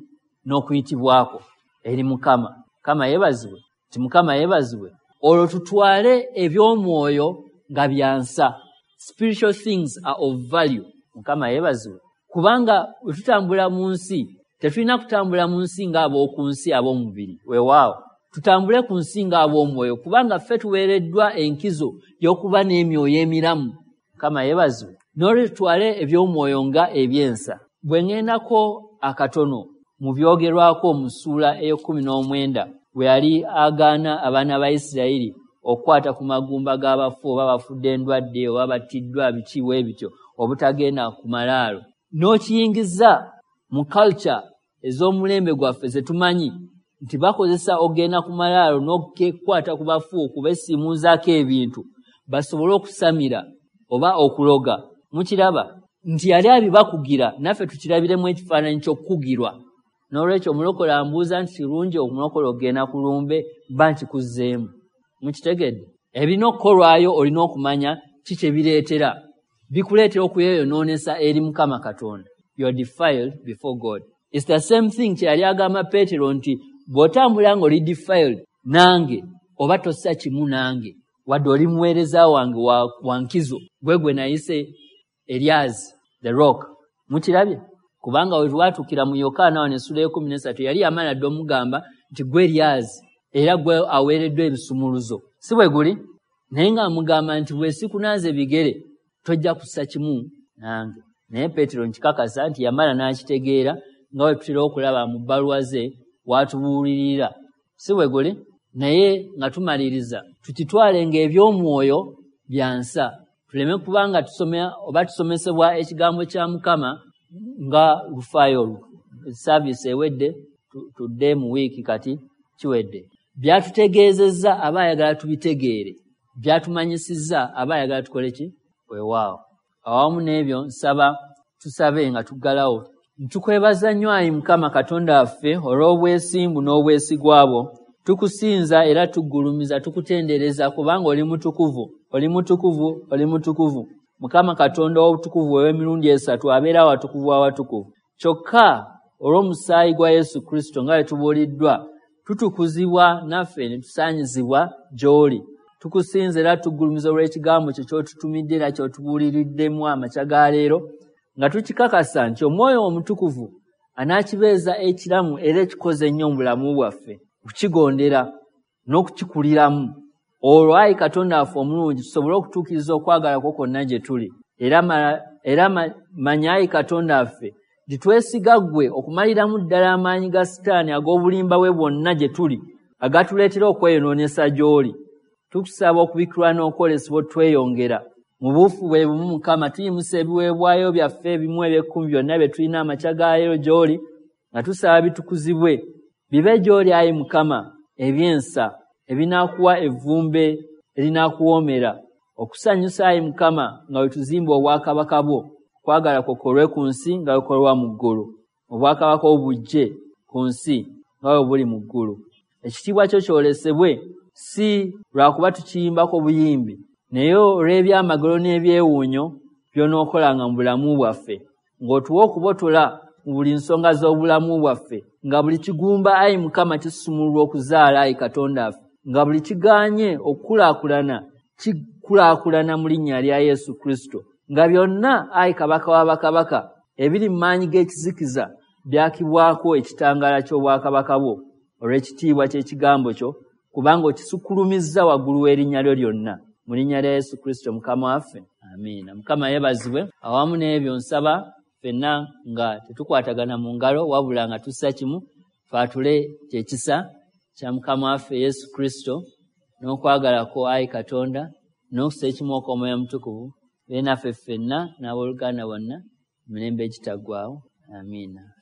n'okuyitibwako eri Mukama. Mukama yeebazibwe. Nti Mukama yeebazibwe. Olwo tutwale eby'omwoyo nga byansa. Spiritual things are of value. Mukama yeebazibwe. Kubanga bwe tutambula mu nsi, tetulina kutambula mu nsi ng'ab'oku nsi, ab'omubiri. Weewaawo tutambule ku nsi ng'ab'omwoyo, kubanga ffe tuweereddwa enkizo y'okuba n'emyoyo emiramu. Mukama yeebazibwe. N'olwekyo tutwale eby'omwoyo nga ebyensa. Bwe ŋŋendako akatono mu byogerwako mu ssuula ey'okkumi n'omwenda, bwe yali agaana abaana ba Isirayiri okukwata ku magumba g'abafu, oba bafudde endwadde oba battiddwa biki bwe bityo, obutagenda ku malaalo, n'okiyingiza mu culture ez'omulembe gwaffe ze tumanyi nti bakozesa okugenda ku malaalo n'okukwata ku bafu okubesiimuuzaako ebintu basobole okusamira oba okuloga. Mukiraba nti yali abibakugira, naffe tukirabiremu ekifaananyi ky'okukugirwa. N'olwekyo omulokole ambuuza nti kirungi omulokole okugenda ku lumbe, mba nkikuzzeemu. Mukitegedde? Ebirina okukolwayo olina okumanya ki kye bireetera. Bikuleetera okweyonoonesa eri Mukama Katonda. You are defiled before God. It's the same thing kye yali agamba Peetero nti bw'otambula ng'oli defiled nange, oba tossa kimu nange, wadde oli muweereza wange wa nkizo, gwe gwe nayise Eryazi, the rock. Mukirabye? Kubanga we twatuukira mu Yokaana wano essula ey'ekkumi n'esatu, yali yamala dde omugamba nti gwe Eryazi era gwe aweereddwa ebisumuluzo, si bwe guli? Naye ng'amugamba nti bwe sikunaaza ebigere tojja kussa kimu nange. Naye Peetero nkikakasa nti yamala n'akitegeera, nga bwe tutera okulaba mu bbaluwa ze w'atubuulirira, si bwe guli? Naye nga tumaliriza, tukitwale ng'eby'omwoyo byansa, tuleme kuba nga tusoma oba tusomesebwa ekigambo kya Mukama nga lufaayo. Service ewedde, tudde mu wiiki, kati kiwedde. Byatutegeezezza aba ayagala tubitegeere, byatumanyisizza aba ayagala tukole ki? Weewaawo, awamu n'ebyo nsaba tusabe nga tuggalawo. Ntukwebaza nnyo, ayi Mukama Katonda waffe, olw'obwesimbu n'obwesigwa bwo. Tukusinza era tuggulumiza, tukutendereza, kubanga oli mutukuvu, oli mutukuvu, oli mutukuvu. Mukama Katonda ow'obutukuvu ow'emirundi esatu abeera awatukuvu awatukuvu. Kyokka olw'omusaayi gwa Yesu Kristo, nga bwe tubuuliddwa, tutukuzibwa naffe ne tusaanyizibwa gy'oli. Tukusinza era tuggulumiza olw'ekigambo kyo ky'otutumidde era ky'otubuuliriddemu amakya ga leero, nga tukikakasa nti Omwoyo Omutukuvu anaakibeeza ekiramu era ekikoze ennyo mu bulamu bwaffe, okukigondera n'okukikuliramu. Olwo, ayi Katonda waffe omulungi, tusobole okutuukiriza okwagala kwo kwonna gye tuli. Era manya, ayi Katonda waffe, nti twesiga ggwe okumaliramu ddala amaanyi ga Sitaani ag'obulimba bwe bwonna gye tuli, agatuleetera okweyonoonesa gy'oli. Tukusaba okubikkulwa n'okwolesebwa otweyongera mu buufu bwe bumu. Mukama, tuyimusa ebiweebwayo byaffe ebimu eby'ekkumi byonna bye tulina amakya ga leero gy'oli, nga tusaba bitukuzibwe bibe gy'oli, ayi Mukama, ebyensa ebinaakuwa evvumbe erinaakuwoomera okusanyusa, ayi Mukama, nga bwe tuzimba obwakabaka bwo. Okwagala kwo kukolwe ku nsi nga bwe kukolwa mu ggulu. Obwakabaka obujje ku nsi nga bwe buli mu ggulu. Ekitiibwa kyo kyolesebwe, si lwakuba tukiyimbako buyimbi, naye olw'ebyamagero n'ebyewuunyo. by'onookolanga mu bulamu bwaffe, ng'otuwa okubotola mu buli nsonga z'obulamu bwaffe, nga buli kigumba, ayi Mukama, kisumululwa okuzaala, ayi Katonda waffe, nga buli kigaanye okukulaakulana kikulaakulana mu linnya lya Yesu Kristo, nga byonna, ayi Kabaka wa bakabaka, ebiri mu maanyi g'ekizikiza byakibwako ekitangaala ky'obwakabaka bwo olw'ekitiibwa ky'ekigambo kyo, kubanga okisukkulumizza waggulu w'erinnya lyo lyonna. Mu linnya lya Yesu Kristo Mukama waffe, amiina. Mukama yeebazibwe. Awamu n'ebyo nsaba ffenna nga tetukwatagana mu ngalo, wabula nga tussa kimu, twatule kyekisa kya Mukama waffe Yesu Kristo n'okwagala kwo, ayi Katonda, n'okussa ekimu okw'Omwoyo Omutukuvu, be naffe ffenna n'abooluganda bonna emirembe egitaggwaawo. Amiina.